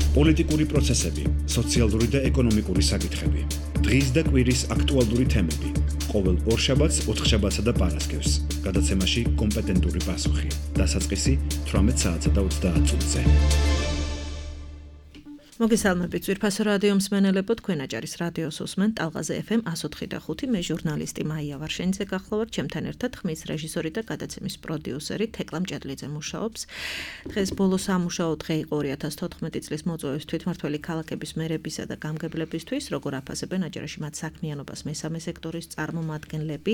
პოლიტიკური პროცესები, სოციალური და ეკონომიკური საკითხები. დღის და კვირის აქტუალური თემები. ყოველ ორშაბათს, ოთხშაბათსა და პარასკევს. გადაცემაში კომპეტენტური პასუხი. დასაწყისი 18 საათსა და 30 წუთზე. მოგესალმებით ძვირფასო რადიო მსმენელებო, თქვენ აჭარის რადიოს უსმენთ ტალღაზე FM 104.5. მე ჟურნალისტი მაია ვარშენიძე გახლავართ, ჩემთან ერთად ხმის რეჟისორი და გადაცემის პროდიუსერი თეკლა მჭედლიძე მუშაობს. დღეს ბოლო სამუშაო დღე იყო 2014 წლის მოწვევის თვითმმართველი ქალაქების მერებისა და გამგებლებისთვის, როგორ აფასებენ აჭარაში მათ საქმიანობას მესამე სექტორის წარმომადგენლები,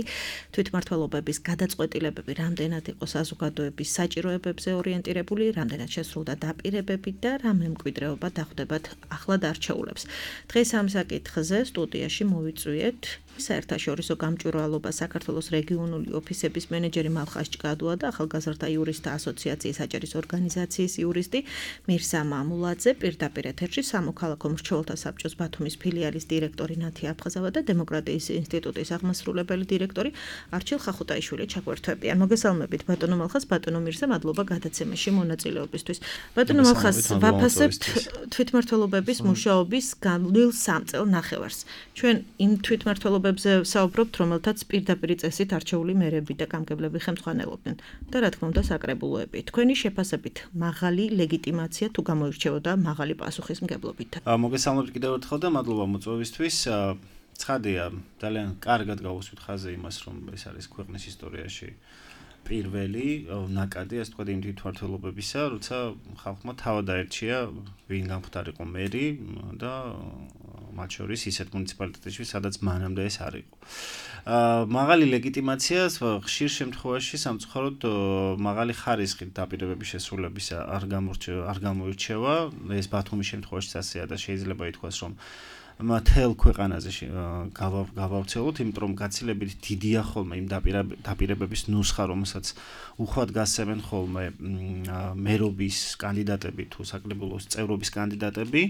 თვითმმართველობების გადაწყვეტილებები რამდენად იყო საზოგადოების საჭიროებებზე ორიენტირებული, რამდენად შესრულდა დაპირებები და რა მემკვიდრეობა დახვდება ახლად არჩეულებს. დღეს ამ საკითხზე სტუდიაში მოვიწვიეთ საერთაშორისო გამჭვირვალობა საქართველოს რეგიონული ოფისების მენეჯერი მალხაზ ჭკადუა და ახალგაზრდა იურისტთა ასოციაციის აჭარის ორგანიზაციის იურისტი მირსა მამულაძე, პირდაპირ ეთერში სამოქალაქო მრჩეველთა საბჭოს ბათუმის ფილიალის დირექტორი ნათი აფხაზავა და დემოკრატიის ინსტიტუტის აღმასრულებელი დირექტორი არჩილ ხახუტაიშვილი ჩაგვერთვებიან. მოგესალმებით ბატონო მალხაზ, ბატონო მირსა, მადლობა გადაცემაში მონაწილეობისთვის. ბატონო მალხაზ, ვაფასებთ თვითმმართველობების მუშაობის განვლილ 3 წელ ნახევარს. ჩვენ იმ თვითმმართველობებზე საუბრობთ, რომელთაც პირდაპირ წესით არჩეული მერები და გამგებლები ხელმძღვანელობდნენ და რა თქმა უნდა საკრებულოები. თქვენი შეფასებით მაღალი ლეგიტიმაცია თუ გამოირჩეოდა მაღალი პასუხისმგებლობით? მოგესალმებით კიდევ ერთხელ და მადლობა მოწვევისთვის. ცხადია, ძალიან კარგად გავუსვით ხაზე იმას, რომ ეს არის ქვეყნის ისტორიაში პირველი ნაკადი, ასე ვთქვათ, იმ თვითმმართველობებისა, როცა ხალხმა თავად აერჩია ვინ გამხდარიყო მერი და მათ შორის ისეთ მუნიციპალიტეტებში, სადაც მანამდე ეს არ იყო. მაღალი ლეგიტიმაცია ხშირ შემთხვევაში სამწუხაროდ მაღალი ხარისხით დაპირებების შესრულებისა არ გამოირჩევა. ეს ბათუმის შემთხვევაში ასეა და შეიძლება ითქვას, რომ მთელ ქვეყანაზე გავავრცელოთ, იმიტომ რომ გაცილებით დიდია ხოლმე იმ დაპირებების ნუსხა, რომელსაც უხვად გასცემენ ხოლმე მერობის კანდიდატები თუ საკრებულოს წევრობის კანდიდატები,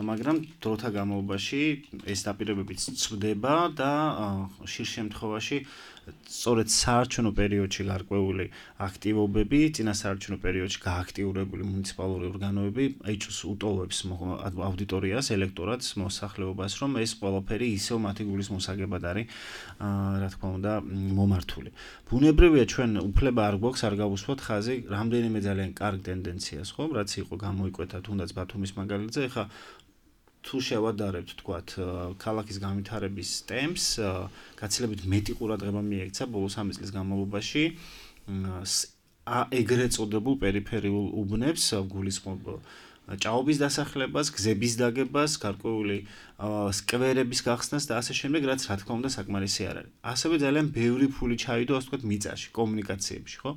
მაგრამ დროთა განმავლობაში ეს დაპირებებიც ცვდება და ხშირ შემთხვევაში სწორედ საარჩევნო პერიოდში გარკვეული აქტივობები, წინასაარჩევნო პერიოდში გააქტიურებული მუნიციპალური ორგანოები ეჭვს უტოლებს აუდიტორიას, ელექტორატს, მოსახლეობას, რომ ეს ყველაფერი ისევ მათი გულის მოსაგებად არის, რა თქმა უნდა, მომართული. ბუნებრივია, ჩვენ უფლება არ გვაქვს არ გავუსვათ ხაზი რამდენიმე ძალიან კარგ ტენდენციას, ხო, რაც იყო გამოიკვეთა თუნდაც ბათუმის მაგალითზე, ეხლა თუ შევადარებთ, თქვათ, ქალაქის განვითარების ტემპს, გაცილებით მეტი ყურადღება მიექცა ბოლო 3 წლის განმავლობაში ეგრეთ წოდებულ პერიფერიულ უბნებს, გულისხმობ ჭაობის დასახლებას, გზების დაგებას, გარკვეული სკვერების გახსნას და ასე შემდეგ, რაც რა თქმა უნდა საკმარისი არ არის. ასევე ძალიან ბევრი ფული ჩაიდო, ასე ვთქვათ, მიწაში, კომუნიკაციებში, ხო?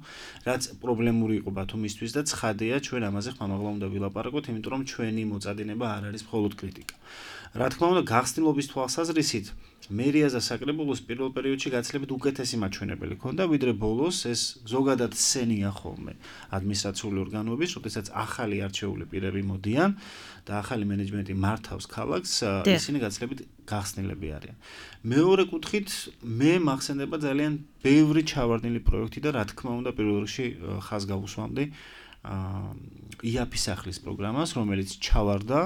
რაც პრობლემური იყო ბათუმისთვის და ცხადია, ჩვენ ამაზე ხმამაღლა უნდა ვილაპარაკოთ, იმიტომ რომ ჩვენი მოწადინება არ არის მხოლოდ კრიტიკა. რა თქმა უნდა, გახსნილობის თვალსაზრისით მერიას და საკრებულოს პირველ პერიოდში გაცილებით უკეთესი მაჩვენებელი ჰქონდა, ვიდრე ბოლოს ეს ზოგადად სცენია ხოლმე ადმინისტრაციული ორგანოების, როდესაც ახალი არჩეული პირები მოდიან და ახალი მენეჯმენტი მართავს ქალაქს, ისინი გაცილებით გახსნილები არიან. მეორე კუთხით, მე მახსენდება ძალიან ბევრი ჩავარდნილი პროექტი და რა თქმა უნდა, პირველ რიგში ხაზს გავუსვამდი იაფის სახლის პროგრამას, რომელიც ჩავარდა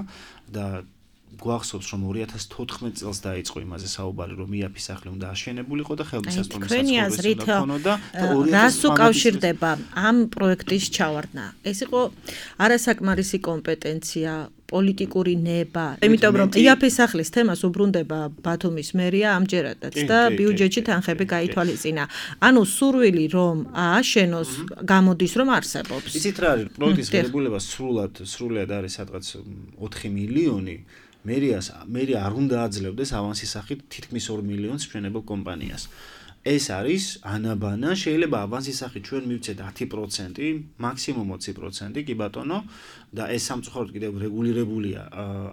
და გვახსოვს, რომ 2014 წელს დაიწყო იმაზე საუბარი, რომ იაფის სახლი უნდა აშენებულიყო და ხელმისაწვდომი საცხოვრებელი უნდა ქონოდა და რას უკავშირდება ამ პროექტის ჩავარდნა? ეს იყო არასაკმარისი კომპეტენცია, პოლიტიკური ნება, იმიტომ რომ იაფის სახლის თემას უბრუნდება ბათუმის მერია ამჯერადაც და ბიუჯეტში თანხები გაითვალისწინა. ანუ სურვილი რომ ააშენოს გამოდის რომ არსებობს. იცით რა არის, პროექტის ღირებულება სრულად არის სადღაც 4 მილიონი. მერია არ უნდა აძლევდეს ავანსის სახით თითქმის 2 მილიონს მშენებელ კომპანიას. ეს არის ანაბანა, შეიძლება ავანსის სახით ჩვენ მივცეთ 10%, მაქსიმუმ 20%, კი ბატონო, და ეს სამწუხაროდ კიდევ რეგულირებულია,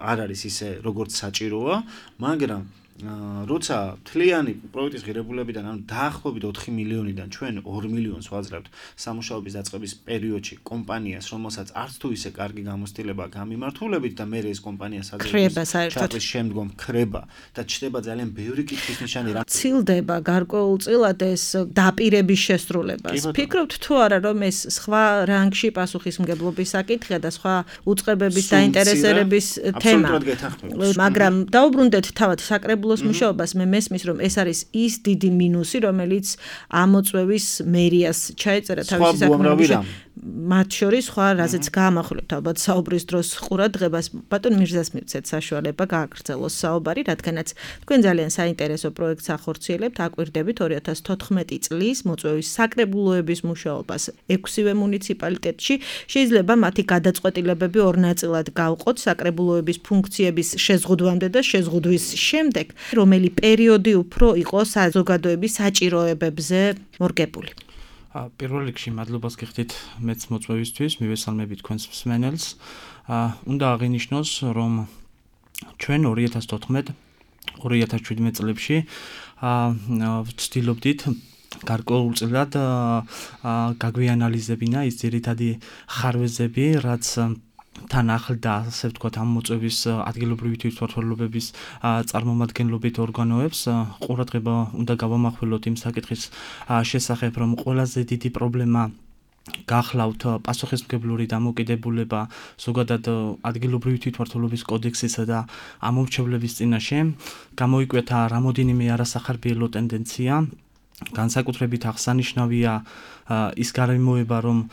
არ არის ისე როგორც საჭიროა, მაგრამ როცა თლიანი პროექტის ღირებულებიდან ანუ დაახლოებით 4 მილიონიდან ჩვენ 2 მილიონს ვაძლევთ სამუშაოების დაწყების პერიოდში კომპანიას, რომელსაც არც თუ ისე კარგი გამოცდილება გამიმართულებით და მე ეს კომპანია საერთოდ შემდგომ ქრება და ჩდება ძალიან ბევრი კითხვის ნიშანი რა ცილდება გარკვეულწილად ეს დაპირების შესრულებას. ფიქრობთ თუ არა რომ ეს სხვა რანგში პასუხისმგებლობის საკითხია და სხვა უწყებების დაინტერესების თემა. მაგრამ დაუბრუნდეთ თავად საკრებულოს მუშაობას, მე მესმის რომ ეს არის ის დიდი მინუსი, რომელიც ამოწვევის მერიას ჩაეწერა თავისი საქმეებში. მათ შორის სხვა რაზეც გაამახვილებთ ალბათ საუბრის დროს ყურადღებას ბატონ მირზას მივცეთ საშუალება გააგრძელოს საუბარი, რადგანაც თქვენ ძალიან საინტერესო პროექტს ახორციელებთ, აკვირდებით 2014 წლის მოწვევის საკრებულოების მუშაობას 6-ვე მუნიციპალიტეტში. შეიძლება მათი გადაწყვეტილებები ორ ნაწილად გავყოთ საკრებულოების ფუნქციების შეზღუდვამდე და შეზღუდვის შემდეგ, რომელი პერიოდი უფრო იყო საზოგადოების საჭიროებებზე მორგებული. პირველ რიგში მადლობას გიხდით მეც მოწვევისთვის, მივესალმებით თქვენს მსმენელს. უნდა აღინიშნოს, რომ ჩვენ 2014-2017 წლებში ვცდილობდით გარკვეულწილად გაგვიანალიზებინა ის ძირითადი ხარვეზები, რაც თან ახლდა, ასე ვთქვათ, ამ მოწვევის ადგილობრივი თვითმმართველობების წარმომადგენლობით ორგანოებს. ყურადღება უნდა გავამახვილოთ იმ საკითხის შესახებ, რომ ყველაზე დიდი პრობლემა გახლავთ პასუხისმგებლური დამოკიდებულება ზოგადად ადგილობრივი თვითმმართველობის კოდექსისა და ამომრჩევლების წინაშე. გამოიკვეთა რამოდენიმე არასახარბიელო ტენდენცია. განსაკუთრებით აღსანიშნავია ის გარემოება, რომ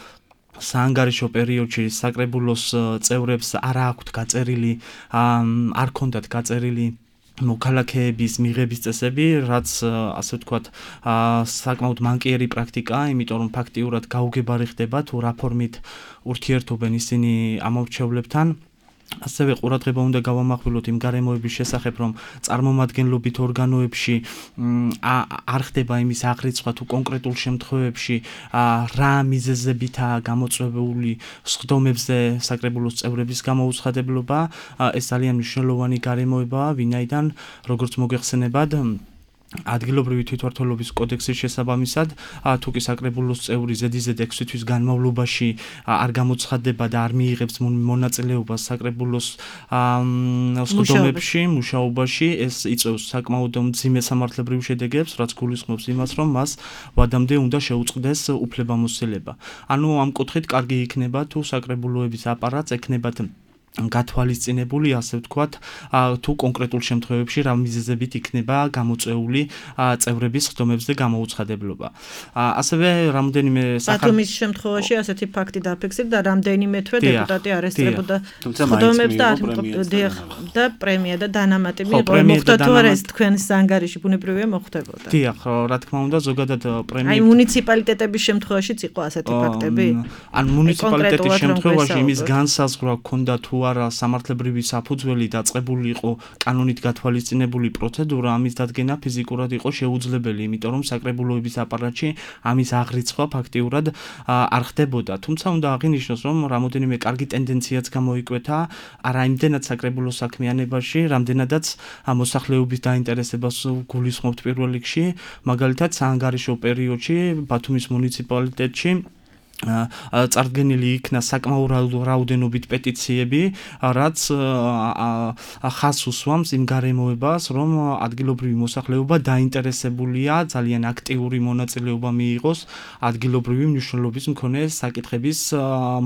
საანგარიშო პერიოდში საკრებულოს წევრებს არ აქვთ გაწერილი, არ ქონდათ გაწერილი მოქალაქეების მიღების წესები, რაც ასე ვთქვათ, საკმაოდ მანკიერი პრაქტიკაა, იმიტომ რომ ფაქტიურად გაუგებარი ხდება თუ რა ფორმით ურთიერთობენ ისინი ამომრჩევლებთან. ასევე ყურადღება უნდა გავამახვილოთ იმ გარემოების შესახებ, რომ წარმომადგენლობით ორგანოებში არ ხდება იმის აღრიცხვა თუ კონკრეტულ შემთხვევებში რა მიზეზებითაა გამოწვეული სხდომებზე საკრებულოს წევრების გამოუცხადებლობა. ეს ძალიან მნიშვნელოვანი გარემოებაა, ვინაიდან როგორც მოგეხსენებათ ადგილობრივი თვითმმართველობის კოდექსის შესაბამისად, თუ კი საკრებულოს წევრი ზედიზედ 6 თვის განმავლობაში არ გამოცხადდება და არ მიიღებს მონაწილეობას საკრებულოს სხდომებში, მუშაობაში, ეს იწვევს საკმაოდ მძიმე სამართლებრივ შედეგებს, რაც გულისხმობს იმას, რომ მას ვადამდე უნდა შეუწყდეს უფლებამოსილება. ანუ ამ კუთხით კარგი იქნება თუ საკრებულოების აპარატს ექნებათ გათვალისწინებული, ასე ვთქვათ, თუ კონკრეტულ შემთხვევებში რა მიზეზებით იქნება გამოწვეული წევრების სხდომებზე გამოუცხადებლობა. ასევე რამოდენიმე ბათუმის შემთხვევაში ასეთი ფაქტი დაფიქსირდა და რამოდენიმე თვე დეპუტატი არესტირებოდა სხდომებს და პრემია და დანამატები მოხდა თუ არა ეს თქვენს ანგარიში ბუნებრივია მოხდებოდა. დიახ, რა თქმა უნდა, ზოგადად პრემია აი მუნიციპალიტეტების შემთხვევაშიც იყო ასეთი ფაქტები? ან მუნიციპალიტეტის შემთხვევაში იმის განსაზღვრა ჰქონდა თუ არა სამართლებრივი საფუძველი დაწყებული იყო კანონით გათვალისწინებული პროცედურა, ამის დადგენა ფიზიკურად იყო შეუძლებელი, იმიტომ რომ საკრებულოების აპარატში ამის აღრიცხვა ფაქტიურად არ ხდებოდა. თუმცა უნდა აღინიშნოს, რომ რამოდენიმე კარგი ტენდენციაც გამოიკვეთა არა იმდენად საკრებულოს საქმიანობაში, რამდენადაც მოსახლეობის დაინტერესებას გულისხმობთ პირველ რიგში, მაგალითად საანგარიშო პერიოდში ბათუმის მუნიციპალიტეტში წარდგენილი იქნა საკმაოდ რაოდენობით პეტიციები, რაც ხაზს უსვამს იმ გარემოებას, რომ ადგილობრივი მოსახლეობა დაინტერესებულია, ძალიან აქტიური მონაწილეობა მიიღოს ადგილობრივი მნიშვნელობის მქონე საკითხების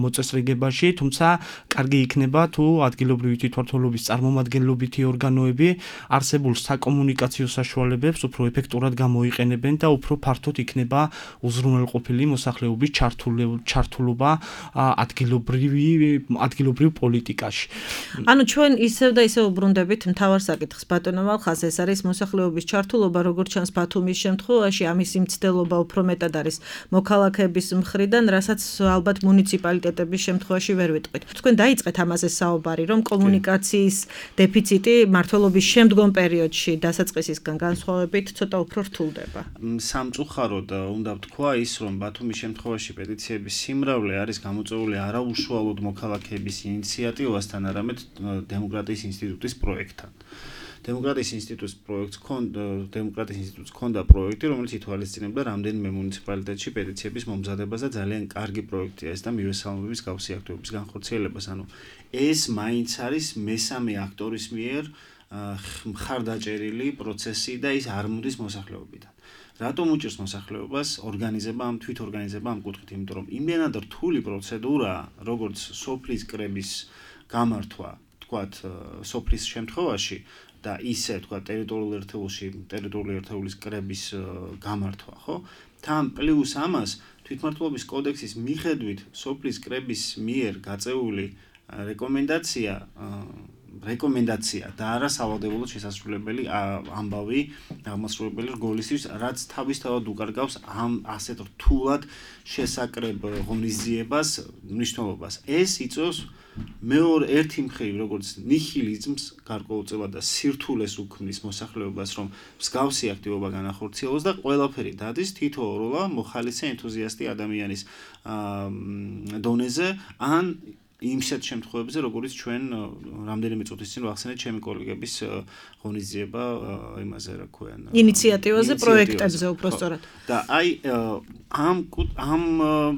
მოწესრიგებაში, თუმცა კარგი იქნება თუ ადგილობრივი თვითმმართველობის წარმომადგენლობითი ორგანოები არსებულ საკომუნიკაციო საშუალებებს უფრო ეფექტურად გამოიყენებენ და უფრო ფართოდ იქნება უზრუნველყოფილი მოსახლეობის ჩართულობა ადგილობრივ პოლიტიკაში. ანუ ჩვენ ისევ და ისევ უბრუნდებით მთავარ საკითხს, ბატონო მალხაზ, ეს არის მოსახლეობის ჩართულობა, როგორც ჩანს ბათუმის შემთხვევაში, ამის მცდელობა უფრო მეტად არის მოქალაქეების მხრიდან, რასაც ალბათ მუნიციპალიტეტების შემთხვევაში ვერ ვიტყვით. თქვენ დაიწყეთ ამაზე საუბარი, რომ კომუნიკაციის დეფიციტი მმართველობის შემდგომ პერიოდში დასაწყისისგან განსხვავებით ცოტა უფრო რთულდება. სამწუხაროდ უნდა ვთქვა ის, რომ ბათუმის შემთხვევაში პეტიციების სიმრავლე არის გამოწვეული არა უშუალოდ მოქალაქეების ინიციატივასთან, არამედ დემოკრატიის ინსტიტუტის პროექტთან. დემოკრატიის ინსტიტუტს ჰქონდა პროექტი, რომელიც ითვალისწინებდა რამდენიმე მუნიციპალიტეტში პეტიციების მომზადებას და ძალიან კარგი პროექტია ეს და მივესალმების გავსი აქტივობის განხორციელებას. ანუ ეს მაინც არის მესამე აქტორის მიერ მხარდაჭერილი პროცესი და ის არ მოდის მოსახლეობიდან. რატომ უჭირს მოსახლეობას ორგანიზება ამ თვითორგანიზება ამ კუთხით, იმიტომ რომ იმენად რთული პროცედურაა, როგორც სოფლის კრების გამართვა, თქვათ, სოფლის შემთხვევაში და ისე, თქვათ, ტერიტორიულ ერთეულის კრების გამართვა, ხო? თან პლუს ამას თვითმმართველობის კოდექსის მიხედვით სოფლის კრების მიერ გაწეული რეკომენდაცია და არა სავალდებულო შესასრულებელი ამბავი, აღმასრულებელი რგოლისთვის, რაც თავისთავად უკარგავს ამ ასეთ რთულად შესაკრებ ღონისძიებას, მნიშვნელობას. ეს იწვევს ერთი მხრივ, როგორც ნიჰილიზმს გარკვეულწილად და სირთულეს უქმნის მოსახლეობას, რომ მსგავსი აქტივობა განახორციელოს და ყველაფერი დადის თითოეულა მოხალისე ენთუზიასტი ადამიანის დონეზე ან იმსეთ შემთხვევებზე, როგორც ჩვენ რამდენიმე წუთის წინ ვახსენეთ ჩემი კოლეგების ღონისძიება იმაზე, რა ქვია, ინიციატივაზე, პროექტებზე უბრალოდ. და აი ამ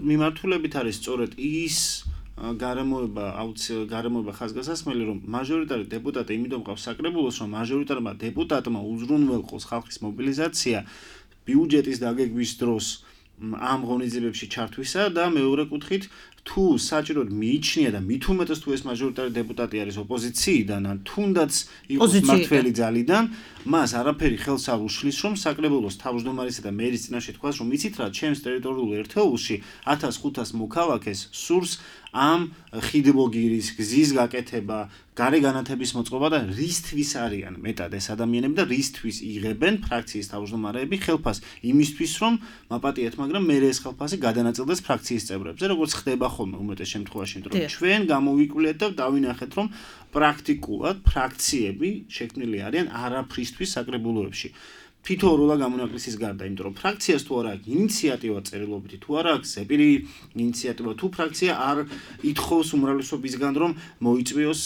მიმართულებით არის სწორედ ის გარემოება ხაზგასასმელი, რომ მაჟორიტარი დეპუტატი იმიტომ ყავს საკრებულოს, რომ მაჟორიტარმა დეპუტატმა უზრუნველყოს ხალხის მობილიზაცია ბიუჯეტის დაგეგმვის დროს ამ ღონისძიებებში ჩართვისა და მეორე კუთხით თუ საჭიროდ მიიჩნია და მით უმეტეს თუ ეს მაჟორიტარი დეპუტატი არის ოპოზიციიდან ან თუნდაც იყოს მმართველი ძალიდან, მას არაფერი ხელს არ უშლის, რომ საკრებულოს თავმჯდომარისა და მერის წინაშე თქვას, რომ იცით რა, ჩემს ტერიტორიულ ერთეულში 1500 მოქალაქეს სურს ამ ხიდბოგირის გზის გაკეთება, გარე განათების მოწყობა და რისთვის არიან მეტად ეს ადამიანები და რისთვის იღებენ ფრაქციის თავმჯდომარეები ხელფას იმისთვის, რომ მაპატიეთ, მაგრამ მე ეს ხელფასი გადანაწილდეს ფრაქციის წევრებზე, როგორც ხდება ხოლმე უმეტეს შემთხვევაში, იმიტომ რომ ჩვენ გამოვიკვლიეთ და დავინახეთ, რომ პრაქტიკულად ფრაქციები შექმნილი არიან არაფრისთვის საკრებულოებში. თითოეულა გამონაკლისის გარდა, იმიტომ რომ ფრაქციას თუ არ აქვს ინიციატივა წერილობითი, თუ არ აქვს ზეპირი ინიციატივა, თუ ფრაქცია არ ითხოვს უმრავლესობისგან, რომ მოიწვიოს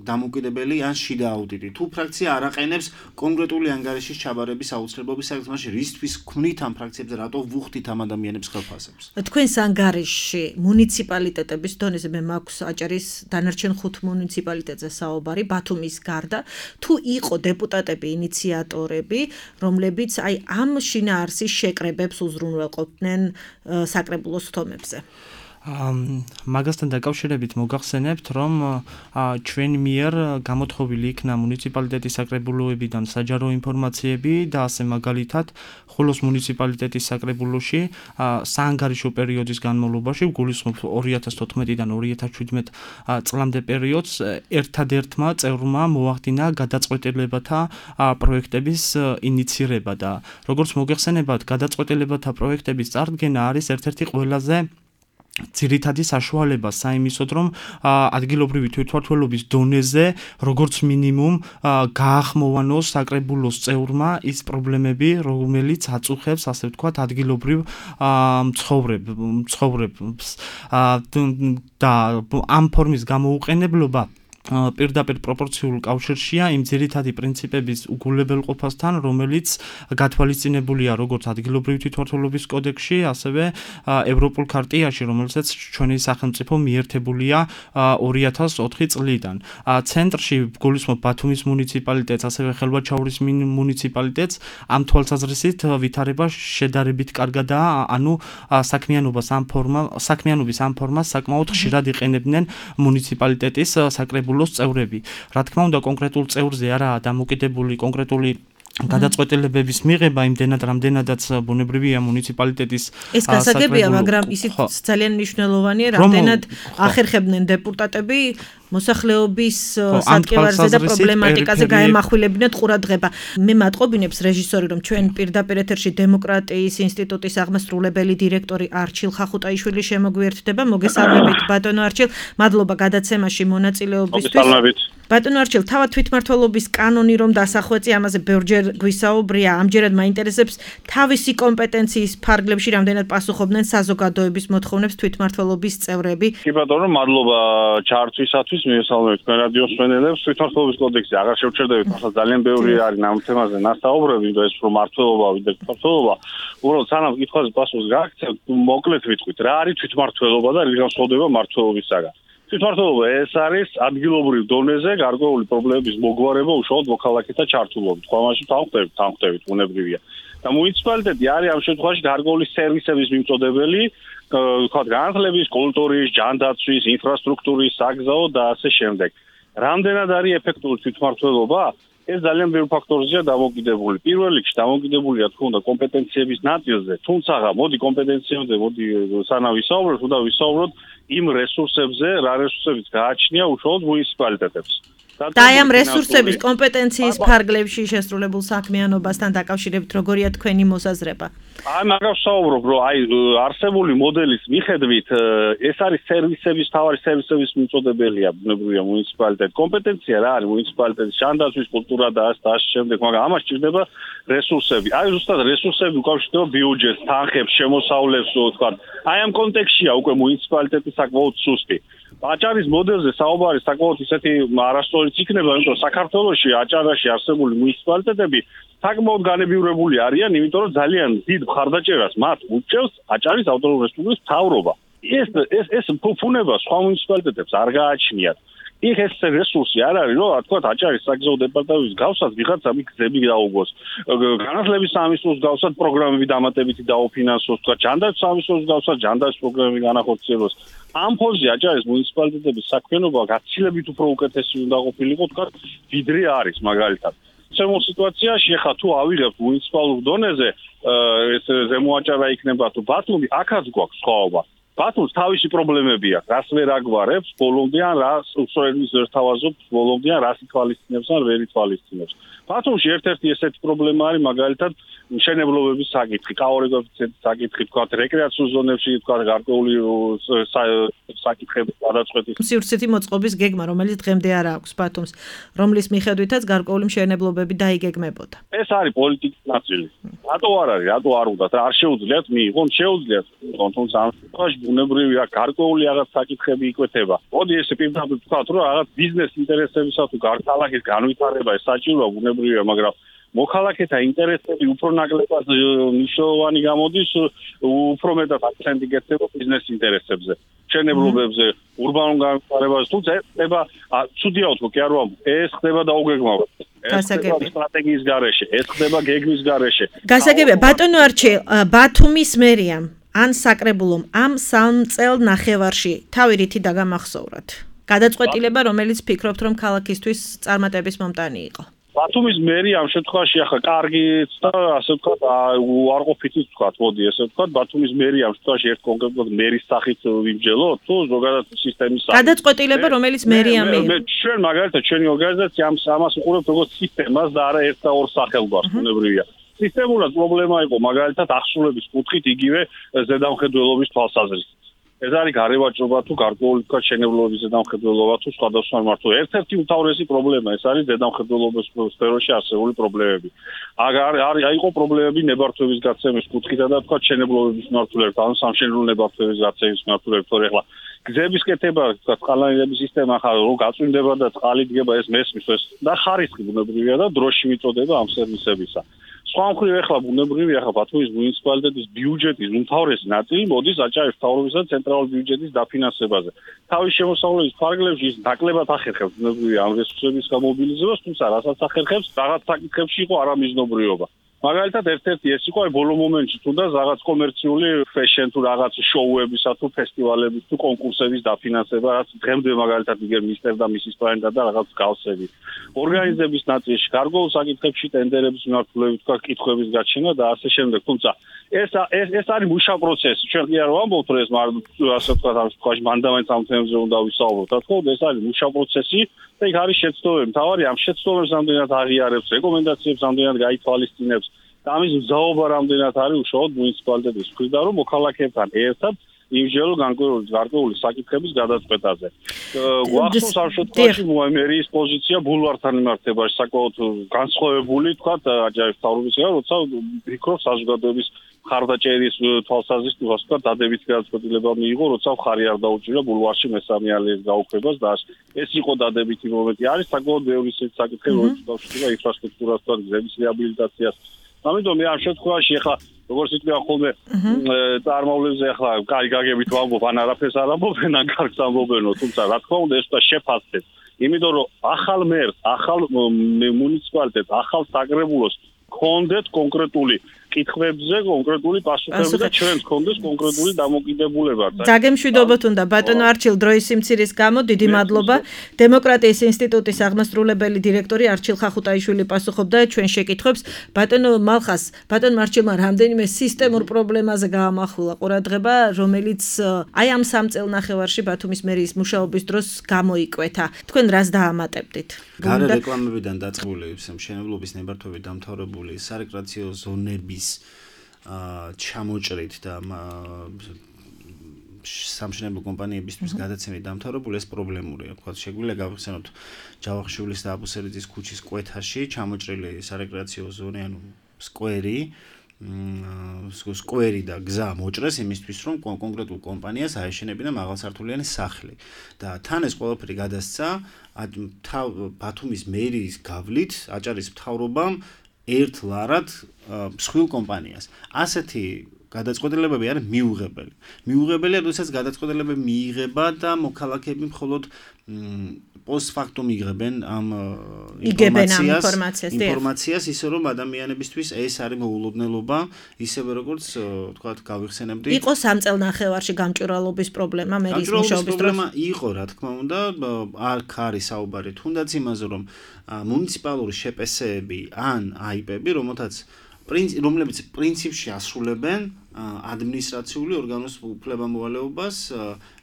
დამოუკიდებელი ან შიდა აუდიტი, თუ ფრაქცია არ აყენებს კონკრეტული ანგარიშის ჩაბარების აუცილებლობის საკითხში, რისთვის ქმნით ამ ფრაქციებზე, რატო ვუხდით ამ ადამიანებს ხელფასებს? თქვენს ანგარიშში მუნიციპალიტეტების დონეზე მე მაქვს აჭარის დანარჩენ 5 მუნიციპალიტეტზე საუბარი, ბათუმის გარდა, თუ იყო დეპუტატები ინიციატორები, რომლებიც აი ამ შინაარსის შეკრებებს უზრუნველყოფდნენ საკრებულოს თომებზე. მაგასთან დაკავშირებით მოგახსენებთ, რომ ჩვენ მიერ გამოთხოვილი იქნა მუნიციპალიტეტის საკრებულოებიდან საჯარო ინფორმაციები და ასე მაგალითად ხოლოს მუნიციპალიტეტის საკრებულოში საანგარიშო პერიოდის განმავლობაში, გულისხმობ 2014-დან 2017 წლამდე პერიოდს, ერთადერთმა წევრმა მოახდინა გადაწყვეტილებათა პროექტების ინიცირება და როგორც მოგეხსენებათ, გადაწყვეტილებათა პროექტების წარდგენა არის ერთ-ერთი ყველაზე ძირითადი საშუალება საიმისოდ, რომ ადგილობრივი თვითმმართველობის დონეზე, როგორც მინიმუმ, გაახმოვანოს საკრებულოს წევრმა ის პრობლემები, რომელიც აწუხებს, ასე ვთქვათ, ადგილობრივ ცხოვრებს და ამ ფორმის გამოუყენებლობა პირდაპირ პროპორციულ კავშირშია იმ ძირითადი პრინციპების უგულებელყოფასთან, რომელიც გათვალისწინებულია როგორც ადგილობრივი თვითმმართველობის კოდექსში, ასევე ევროპულ ქარტიაში, რომელსაც ჩვენი სახელმწიფო მიერთებულია 2004 წლიდან. ცენტრში გულისხმობ ბათუმის მუნიციპალიტეტს, ასევე ხელვაჩაურის მუნიციპალიტეტს ამ თვალსაზრისით ვითარება შედარებით კარგადაა, ანუ საქმიანობის ამ ფორმას საკმაოდ ხშირად იყენებდნენ მუნიციპალიტეტის საკრებულოს წევრები. რა თქმა უნდა, კონკრეტულ წევრზე არაა დამოკიდებული კონკრეტული გადაწყვეტილებების მიღება, იმდენად რამდენადაც ბუნებრივია მუნიციპალიტეტის ეს გასაგებია, მაგრამ ისიც ძალიან მნიშვნელოვანია, რამდენად ახერხებდნენ დეპუტატები მოსახლეობის სატკივარზე და პრობლემატიკაზე გაემახვილებინათ ყურადღება. მე მატყობინებს რეჟისორი, რომ ჩვენ პირდაპირ ეთერში დემოკრატიის ინსტიტუტის აღმასრულებელი დირექტორი არჩილ ხახუტაიშვილი შემოგვიერთდება. მოგესალმებით ბატონო არჩილ, მადლობა გადაცემაში მონაწილეობისთვის. ბატონო არჩილ, თავად თვითმმართველობის კანონი რომ დასახვეწი, ამაზე ბევრჯერ გვისაუბრია, ამჯერად მაინტერესებს თავისი კომპეტენციის ფარგლებში რამდენად პასუხობდნენ საზოგადოების მოთხოვნებს თვითმმართველობის წევრები. კი ბატონო, მადლობა ჩართვისათვის. გასვლის მიესალმებით თქვენ რადიოს მსმენელებს. თვითმმართველობის კოდექსი აღარ შევჩერდებით, ახლა ძალიან ბევრი არის ამ თემაზე ნასაუბრები, და ეს რომ მართლობა ვიდრე თვითმმართველობა, უბრალოდ სანამ კითხვაზე პასუხს გააქცევთ, მოკლედ ვიტყვით, რა არის თვითმმართველობა და რით განსხვავდება მმართველობისაგან. თვითმმართველობა ეს არის ადგილობრივ დონეზე გარკვეული პრობლემების მოგვარება უშუალოდ მოქალაქეთა ჩართულობით. ხომაში თანხმდებით, უნებრივია. და მუნიციპალიტეტი არის ამ შემთხვევაში გარკვეული სერვისების მიმწოდებელი, ვთქვათ, განათლების, კულტურის, ჯანდაცვის, ინფრასტრუქტურის, საგზაო და ასე შემდეგ. რამდენად არის ეფექტური თვითმმართველობა? ეს ძალიან ბევრ ფაქტორზეა დამოკიდებული. პირველ რიგში დამოკიდებულია თქო უნდა კომპეტენციების ნაწილზე, თუმცა მოდი კომპეტენციებზე, მოდი სანამ ვისაუბროთ, უნდა ვისაუბროთ იმ რესურსებზე, რა რესურსებიც გააჩნია უშუალოდ მუნიციპალიტეტებს. და აი ამ რესურსების კომპეტენციის ფარგლებში შესრულებულ საქმიანობასთან დაკავშირებით როგორია თქვენი მოსაზრება? აი მაგას ვსაუბრობ, რომ აი არსებული მოდელის მიხედვით ეს არის სერვისების, თავარი სერვისების მიმწოდებელია, ბუნებრივია მუნიციპალიტეტი. კომპეტენცია რა არის მუნიციპალიტეტის ჯანდაცვის, კულტურა და ასე შემდეგ, მაგრამ ამას სჭირდება რესურსები. აი ზუსტად რესურსები უკავშირდება ბიუჯეტს, თანხებს, შემოსავლებს, ვთქვათ. აი ამ კონტექსტშია უკვე მუნიციპალიტეტი საკმაოდ სუსტი. აჭარის მოდელზე საუბარი საკმაოდ ისეთი არასწორიც იქნება, იმიტომ რომ საქართველოში აჭარაში არსებული მუნიციპალიტეტები საკმაოდ განებივრებული არიან, იმიტომ რომ ძალიან დიდ მხარდაჭერას მათ უჭერს აჭარის ავტონომიური რესპუბლიკის მთავრობა. ეს ფუნება სხვა მუნიციპალიტეტებს არ გააჩნიათ. იქ ეს რესურსი არ არის, რომ თქვათ აჭარის საგზაო დეპარტამენტის გავსად ვიღაცა გზები დაუგოს. განათლების სამინისტროს გავსად პროგრამები დამატებითი დაუფინანსოს, თქვათ ჯანდაცვის სამინისტროს გავსად ჯანდაცვის პროგრამები განახორციელოს. ამ ფონზე აჭარის მუნიციპალიტეტების საქმიანობა გაცილებით უფრო უკეთესი უნდა ყოფილიყო, თქვათ, ვიდრე არის მაგალითად. შემო სიტუაციაში ახლა თუ ავიღებთ მუნიციპალურ დონეზე, ეს ზემოაჭარა იქნება თუ ბათუმი, აქაც გვაქვს სხვაობა. ბათუმს თავისი პრობლემები აქვს, რას ვერ აგვარებს, ბოლომდე ან რას უსწორების ვერ თავაზობს, ბოლომდე ან რას ითვალისწინებს ან ვერ ითვალისწინებს. ბათუმში ერთ-ერთი ესეთი პრობლემა არის მაგალითად მშენებლობების საკითხი, კაორი კოეფიციენტის საკითხი, თქვათ, რეკრეაციულ ზონებში, თქვათ, გარკვეული საკითხები გადაწყვეტის. სივრცითი მოწყობის გეგმა, რომელიც დღემდე არ აქვს ბათუმს, რომლის მიხედვითაც გარკვეული მშენებლობები დაიგეგმებოდა. ეს არის პოლიტიკის ნაწილი. რატო არ არის, რატო არ უნდა, არ შეუძლიათ მიიღონ, შეუძლიათ, თუმცა ამ შემთხვევაში ბუნებრივია გარკვეული რაღაც საკითხები იკვეთება. მოდი ესე პირდაპირ ვთქვათ, რომ რაღაც ბიზნეს ინტერესებისა თუ ქალაქის განვითარება ეს საჭიროა ბუნებრივია, მაგრამ მოქალაქეთა ინტერესები უფრო ნაკლებად მნიშვნელოვანი გამოდის, უფრო მეტად აქცენტი გეცემა ბიზნეს ინტერესებზე, მშენებლობებზე, ურბანულ განვითარებაზე, თუმცა ეს ხდება ცუდია ვთქვა, კი არ ვამბობ, ეს ხდება დაუგეგმავად. ეს ხდება სტრატეგიის გარეშე, ეს ხდება გეგმის გარეშე. გასაგებია, ბატონო არჩილ, ბათუმის მერიამ ან საკრებულომ ამ 3 წელ ნახევარში თავი რითი დაგამახსოვრათ? გადაწყვეტილება, რომელიც ფიქრობთ, რომ ქალაქისთვის წარმატების მომტანი იყო. ბათუმის მერი ამ შემთხვევაში ახლა კარგიც და ასე ვთქვათ, უარყოფითიც ვთქვათ, მოდი ესე ვთქვათ, ბათუმის მერი ამ შემთხვევაში ერთ კონკრეტულად მერის სახით ვიმჯელოთ, თუ ზოგადად სისტემის სახით. გადაწყვეტილება, რომელიც მერია მიიღო. ჩვენ მაგალითად ჩვენი ორგანიზაცია ამას უყურებთ როგორც სისტემას და არა ერთ და ორ სახელგვარს, ბუნებრივია. სისტემურად პრობლემა იყო მაგალითად აღსრულების კუთხით იგივე ზედამხედველობის თვალსაზრისით. ეს არის გარევაჭრობა თუ გარკვეული თქვა შენებლობის ზედამხედველობა თუ სხვადასხვა მართლა. ერთ-ერთი უმთავრესი პრობლემა ეს არის ზედამხედველობის სფეროში არსებული პრობლემები. არ იყო პრობლემები ნებართვების გაცემის კუთხიდან და თქვა შენებლობის მართლობებთან, ან სამშენებლო ნებართვების გაცემის მართლობებთან. ეხლა გზების კეთება, თქვა წყალანელების სისტემა ახლა რო გაწვიმდება და წყალი დგება ეს მესმის ეს და ხარისხი ბუნებრივია და დროში მიწოდება ამ სერვისებისა. სხვა მხრივ ეხლა ბუნებრივია ახლა ბათუმის მუნიციპალიტეტის ბიუჯეტის უმთავრესი ნაწილი მოდის აჭარის მთავრობისა და ცენტრალური ბიუჯეტის დაფინანსებაზე. თავის შემოსავლების ფარგლებში ის ნაკლებად ახერხებს ბუნებრივია ამ რესურსების გამობილიზებას, თუმცა რასაც ახერხებს, რაღაც საკითხებში იყო არამიზნობრიობა. მაგალითად ერთ-ერთი ეს იყო ბოლო მომენტში თუნდაც რაღაც კომერციული ფეშენ თუ რაღაც შოუებისა თუ ფესტივალების თუ კონკურსების დაფინანსება, რაც დღემდე მაგალითად იგერ მისტერ და მისის პლანეტა და რაღაც გავსები. ორგანიზების ნაწილში გარკვეულ საკითხებში ტენდერების მიმართულებით თქვა კითხვების გაჩენა და ასე შემდეგ. თუმცა ეს არის მუშა პროცესი. ჩვენ კი არ ვამბობთ რომ ეს ასე ვთქვათ ამ შემთხვევაში მანდამენტ ამ თემებზე უნდა ვისაუბროთ. რა თქმა უნდა ეს არის მუშა პროცესი და იქ არის შეცდომები. თავარი ამ შეცდომებს ამდენად აღიარებს, რეკომენდაციებს ამდენად გაითვალისწინებს. და ამის მზაობა რამდენად არის უშუალოდ მუნიციპალიტეტის მხრიდან, რომ მოქალაქეებთან ერთად იმჟელო გარკვეული საკითხების გადაწყვეტაზე. გვახსოვს ამ შემთხვევაში მერიის პოზიცია ბულვართან მიმართებაში საკმაოდ განსხვავებული, თქვათ, აჭარის მთავრობისგან, როცა ფიქრობს საზოგადოების ხარდაჭერის თვალსაზრისით ვთქვა დადებითი გადაწყვეტილება მიიღო, როცა მხარი არ დაუჭირა ბულვარში მესამე ალეის გაუქმებას და ეს იყო დადებითი მომენტი. არის საკმაოდ ბევრი საკითხი, რომელიც დაუშვება ინფრასტრუქტურასთან, გზების რეაბილიტაციას. ამიტომ მე ამ შემთხვევაში ახლა როგორც იტყვია ხოლმე წარმოვლებზე ახლა კარი გაგებით ვამბობ, ან არაფერს არ ამბობენ, ან კარგს ამბობენო, თუმცა რა თქმა უნდა ეს უნდა შეფასდეს. იმიტომ რომ ახალ მერს, ახალ მუნიციპალიტეტს, ახალ საკრებულოს კონდეთ კონკრეტული კითხვებზე კონკრეტული პასუხები და ჩვენს კონდეს კონკრეტული დამოკიდებულება. დაგემშვიდობოთ უნდა ბატონო არჩილ დროის სიმცირის გამო დიდი მადლობა. დემოკრატიის ინსტიტუტის აღმასრულებელი დირექტორი არჩილ ხახუტაიშვილი პასუხობდა ჩვენ შეკითხვებს. ბატონო მალხას, ბატონო არჩილმა რამდენიმე სისტემურ პრობლემაზე გაამახვილა ყურადღება, რომელიც აი ამ 3 წელნახევარში ბათუმის მერიის მუშაობის დროს გამოიკვეთა. თქვენ რას დაამატებდით? გარე რეკლამებიდან დაწყებული მშენებლობის ნებართვებით დამთავრებული სარეკრეაციო ზონების ჩამოჭრით და სამშენებლო კომპანიებისთვის გადაცემით დამთავრებული ეს პრობლემურია. თქვა შეგვიძლია გავხსენოთ ჯავახიშვილის და აბუსერიძის ქუჩის კვეთაში ჩამოჭრილი სარეკრეაციო ზონი, ანუ სკვერი და გზა მოჭრეს იმისთვის, რომ კონკრეტულ კომპანიას აეშენებინა მაღალსართულიანი სახლი. და თან ეს ყველაფერი გადასცა ბათუმის მერიის გავლით აჭარის მთავრობამ ერთ ლარად მსხვილ კომპანიას. ასეთი გადაწყვეტილებები არის მიუღებელი. მიუღებელია, როდესაც გადაწყვეტილებები მიიღება და მოქალაქეები მხოლოდ პოსტფაქტუმ იღებენ ამ ინფორმაციას, ისე რომ ადამიანებისთვის ეს არის მოულოდნელობა, ისევე როგორც თქვათ გავიხსენებდი. იყო 3 წელნახევარში გამჭვირვალობის პრობლემა მერიის მუშაობის დროს. პრობლემა იყო, რა თქმა უნდა, აქ არის საუბარი თუნდაც იმაზე, რომ მუნიციპალური შეპესეები ან აიპები, რომლებიც პრინციპში ასრულებენ ადმინისტრაციული ორგანოს უფლებამოვალეობას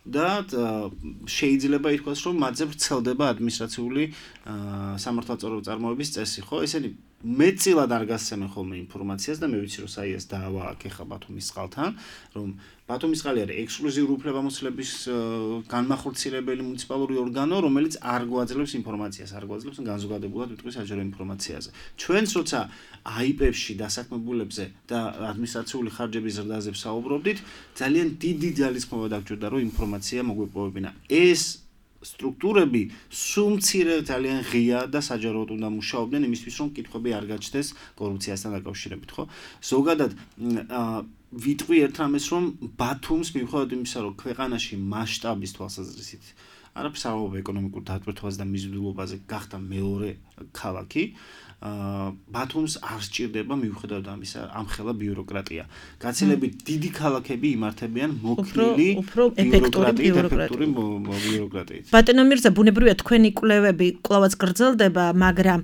და შეიძლება ითქვას, რომ მათზე ვრცელდება ადმინისტრაციული სამართალწორო წარმოების წესი, ხო? ესენი მეტწილად არ გასცემენ ხოლმე ინფორმაციას და მე ვიცი, რომ საიას დაავააქ ახლა ბათუმის წყალთან, რომ ბათუმის წყალი არის ექსკლუზიური უფლებამოსილების განმახორციელებელი მუნიციპალური ორგანო, რომელიც არ გვაძლევს ინფორმაციას, არ გვაძლევს განზოგადებულად ვიტყვი საჯარო ინფორმაციაზე. ჩვენც როცა აიპებში დასაქმებულებზე და ადმინისტრაციული ხარჯების ზრდაზე ვსაუბრობდით, ძალიან დიდი ძალისხმევა დაგჭირდა, რომ ინფორმაცია მოგვეპოვებინა. ეს სტრუქტურები სუმცირე ძალიან ღია და საჯაროდ უნდა მუშაობდნენ იმისთვის, რომ კითხვები არ გაჩნდეს კორუფციასთან დაკავშირებით, ხო? ზოგადად ვიტყვი ერთ რამეს, რომ ბათუმს მიუხედავად იმისა, რომ ქვეყანაში მასშტაბის თვალსაზრისით არაფერს არ ამბობ ეკონომიკურ დატვირთვაზე და მიზიდულობაზე გახდა მეორე ქალაქი, ბათუმს არ სჭირდება მიუხედავად ამისა ამხელა ბიუროკრატია. გაცილებით დიდი ქალაქები იმართებიან მოქნილი ეფექტური ბიუროკრატიით. ბატონო მირზა, ბუნებრივია თქვენი კვლევები კვლავაც გრძელდება, მაგრამ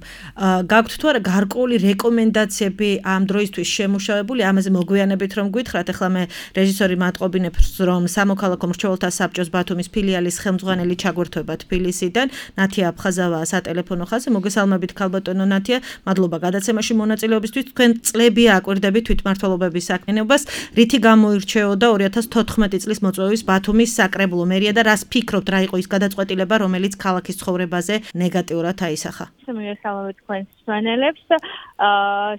გაქვთ თუ არა გარკვეული რეკომენდაციები ამ დროისთვის შემუშავებული, ამაზე მოგვიანებით რომ გითხრათ, ახლა მე რეჟისორი მატყობინებს, რომ სამოქალაქო მრჩეველთა საბჭოს ბათუმის ფილიალის ხელმძღვანელი ჩაგვერთვება თბილისიდან, ნათია აფხაზავაა სატელეფონო ხაზზე. მოგესალმებით ქალბატონო ნათია. მადლობა გადაცემაში მონაწილეობისთვის. თქვენ წლები აკვირდებით თვითმმართველობების საქმიანობას, რითი გამოირჩეოდა 2014 წლის მოწვევის ბათუმის საკრებულო მერია და რას ფიქრობთ, რა იყო ის გადაწყვეტილება, რომელიც ქალაქის ცხოვრებაზე ნეგატიურად აისახა? მოგესალმებით თქვენს მსმენელებს.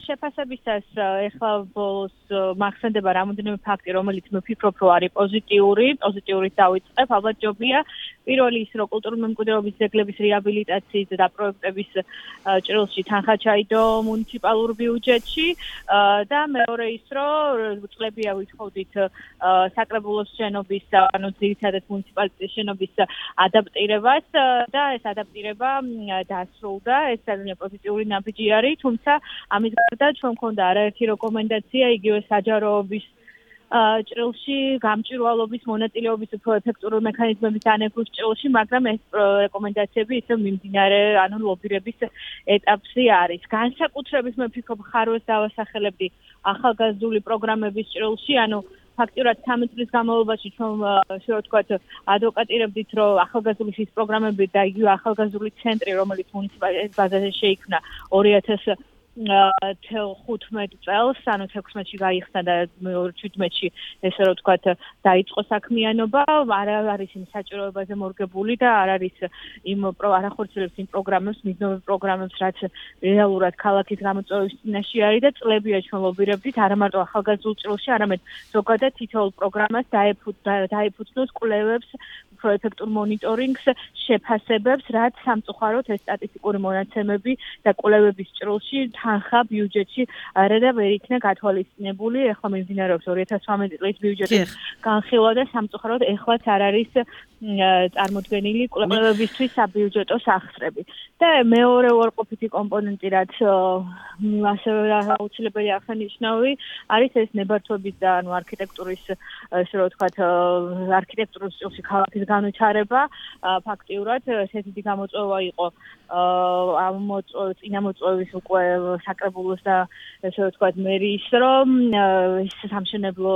შეფასებისას ეხლა ბოლოს მახსენდება რამოდენიმე ფაქტი, რომელიც მე ვფიქრობ, რომ არის პოზიტიურით დავიწყებ. ალბათ ჯობია პირველი ის, რომ კულტურული მემკვიდრეობის ძეგლების რეაბილიტაციის და პროექტების ჭრილში თანხა ჩაიდო მუნიციპალურ ბიუჯეტში და მეორე ის, რომ წლებია ვითხოვდით საკრებულოს შენობის, ანუ ძირითადად მუნიციპალიტეტის შენობის ადაპტირებას და ეს ადაპტირება დასრულდა. ეს ძალიან პოზიტიური ნაბიჯი არის, თუმცა ამის გარდა ჩვენ მქონდა არაერთი რეკომენდაცია იგივე საჯაროობის ჭრილში, გამჭვირვალობის მონაწილეობის უფრო ეფექტური მექანიზმების დანერგვის ჭრილში, მაგრამ ეს რეკომენდაციები ისევ მიმდინარე, ანუ ლობირების ეტაპში არის. განსაკუთრებით მე ვფიქრობ, ხარვეს დავასახელებდი ახალგაზრდული პროგრამების ჭრილში, ანუ ფაქტიურად 13 წლის განმავლობაში ჩვენ შეიძლება ვთქვათ ადვოკატირებდით, რომ ახალგაზრდული შის პროგრამები და იგივე ახალგაზრდული ცენტრი, რომელიც მუნიციპალიტეტის ბაზაზე შეიქმნა 2000 15 წელს, ანუ 16-ში გაიხსნა და 17-ში ესე რომ ვთქვათ, დაიწყო საქმიანობა, არ არის იმ საჭიროებაზე მორგებული და არ არის არ ახორციელებს იმ პროგრამებს, მიზნობრივ პროგრამებს, რაც რეალურად ქალაქის გამოწვევის წინაშე არის და წლებია ჩვენ ლობირებდით, არა მარტო ახალგაზრდულ ჭრილში, არამედ ზოგადად თითოეულ პროგრამას დაეფუძნოს კვლევებს, პროეფექტურ მონიტორინგს, შეფასებებს, რაც სამწუხაროდ ეს სტატისტიკური მონაცემები და კვლევების ჭრილში თანხა ბიუჯეტში არა და ვერ იქნა გათვალისწინებული. ეხლა მიმდინარეობს 2018 წლის ბიუჯეტის განხილვა და სამწუხაროდ ეხლაც არ არის წარმოდგენილი კვლევებისთვის საბიუჯეტო სახსრები. და მეორე უარყოფითი კომპონენტი, რაც ასევე აუცილებელი აღსანიშნავი, არის ეს ნებართვების და ანუ არქიტექტურის, ესე რომ ვთქვათ, არქიტექტურის ჭრილში ქალაქის განვითარება. ფაქტიურად ესეთი დიდი გამოწვევა იყო წინამოწვევის უკვე საკრებულოს და ესე ვთქვათ მერიის, რომ ეს სამშენებლო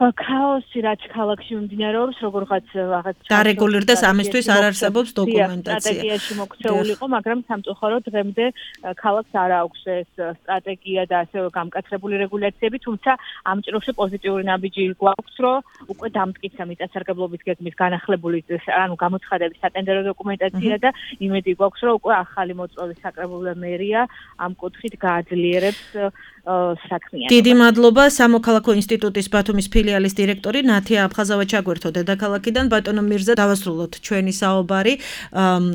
ქაოსი რაც ქალაქში მიმდინარეობს, როგორღაც რაღაც დარეგულირდეს, ამისთვის არ არსებობს დოკუმენტაცია. სტრატეგიაში მოქცეული იყო, მაგრამ სამწუხაროდ დღემდე ქალაქს არ აქვს ეს სტრატეგია და ასევე გამკაცრებული რეგულაციები, თუმცა ამ ჭრილში პოზიტიური ნაბიჯი გვაქვს, რომ უკვე დამტკიცა მიწათსარგებლობის გეგმის განახლებული, ანუ გამოცხადების სატენდერო დოკუმენტაცია და იმედი გვაქვს, რომ უკვე ახალი მოწვევის საკრებულო მერია ამ კუთხით გააძლიერებს საქმიანობას. დიდი მადლობა. სამოქალაქო ინსტიტუტის ბათუმის ფილიალის დირექტორი ნათია აფხაზავა ჩაგვერთო დედაქალაქიდან. ბატონო მირზა, დავასრულოთ ჩვენი საუბარი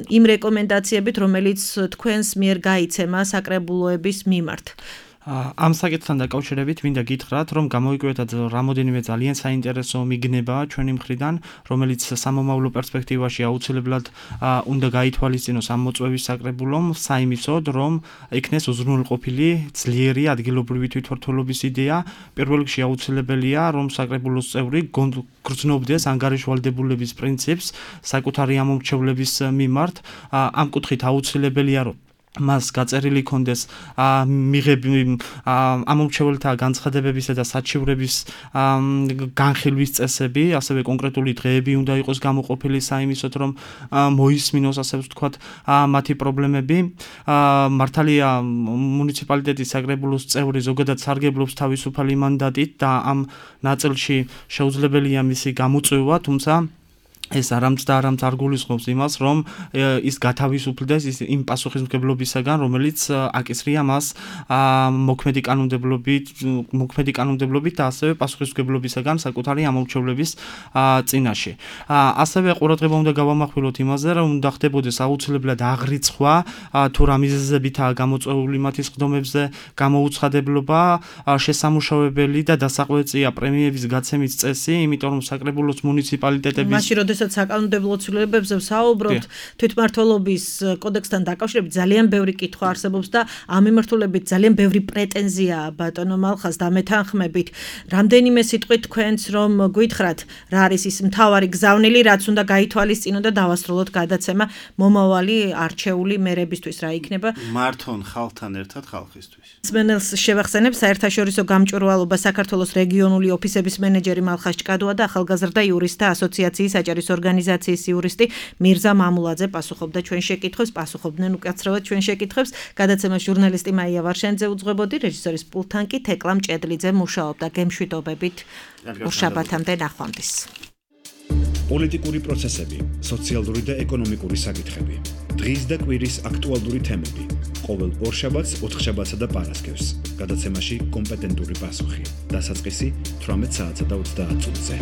იმ რეკომენდაციებით, რომელიც თქვენს მიერ გაიცემა საკრებულოების მიმართ. ამ საკითხთან დაკავშირებით მინდა გითხრათ, რომ გამოიკვეთათ რამოდენიმე ძალიან საინტერესო მიგნება ჩვენი მხრიდან, რომელიც სამომავლო პერსპექტივაში აუცილებლად უნდა გაითვალისწინოს ამ მოწვევის საკრებულომ, საიმისოდ, რომ ექნეს უზრუნველყოფილი ძლიერი ადგილობრივი თვითმმართველობის იდეა. პირველ რიგში აუცილებელია, რომ საკრებულოს წევრი გრძნობდეს ანგარიშვალდებულების პრინციპს საკუთარი ამომრჩევლების მიმართ. ამ კუთხით აუცილებელია, რომ მას გაწერილი კონდეს ამომრჩეველთა განცხადებებისა და საჩივრების განხილვის წესები, ასევე კონკრეტული დღეები უნდა იყოს გამოყოფილი საიმისოდ, რომ მოისმინოს, ასე ვთქვათ, მათი პრობლემები. მართალია მუნიციპალიტეტის საკრებულოს წევრი ზოგადად სარგებლობს თავისუფალი მანდატით და ამ ნაწილში შეუძლებელია მისი გამოწვევა, თუმცა ეს არამც არ გულისხმობს იმას, რომ ის გათავისუფლდეს იმ პასუხისმგებლობისაგან, რომელიც აკისრია მას მოქმედი კანონმდებლობით და ასევე პასუხისმგებლობისაგან საკუთარი ამომრჩევლების წინაშე. ასევე ყურადღება უნდა გავამახვილოთ იმაზე, რომ უნდა ხდებოდეს აუცილებლად აღრიცხვა თუ რა მიზეზებითაა გამოწვეული მათი სხდომებზე გამოუცხადებლობა, შესამუშავებელი და დასაყვეწია პრემიების გაცემის წესი, იმიტომ რომ საკრებულოს მუნიციპალიტეტების როდესაც საკანონმდებლო ცვლილებებზე ვსაუბრობთ, თვითმმართველობის კოდექსთან დაკავშირებით ძალიან ბევრი კითხვა არსებობს და ამ მიმართულებით ძალიან ბევრი პრეტენზიაა ბატონო მალხას დამეთანხმებით. რამდენიმე სიტყვით თქვენც რომ გითხრათ, რა არის ის მთავარი გზავნილი, რაც უნდა გაითვალისწინო და დავასრულოთ გადაცემა მომავალი არჩეული მერებისთვის რა იქნება? მართონ ხალხთან ერთად ხალხისთვის. მსმენელს შევახსენებ საერთაშორისო გამჭვირვალობა საქართველოს რეგიონული ოფისების მენეჯერი მალხას ჭკადოა და ახალგაზრდა იურისტთა ასოციაციის საჯარის ორგანიზაციის იურისტი მირზა მამულაძე პასუხობდა ჩვენ შეკითხვებს, პასუხობდნენ უკაცრავად ჩვენ შეკითხვებს. გადაცემას ჟურნალისტი მაია ვარშენძე უძღვებოდი, რეჟისორის პულტთან კი თეკლა მჭედლიძე მუშაობდა. გემშვიდობებით. ორშაბათამდე ნახვამდის. პოლიტიკური პროცესები, სოციალური და ეკონომიკური საკითხები. დღის და კვირის აქტუალური თემები. ყოველ ორშაბათს, ოთხშაბათსა და პარასკევს. გადაცემაში კომპეტენტური პასუხი. დასაწყისი 18 საათსა და 30 წუთზე.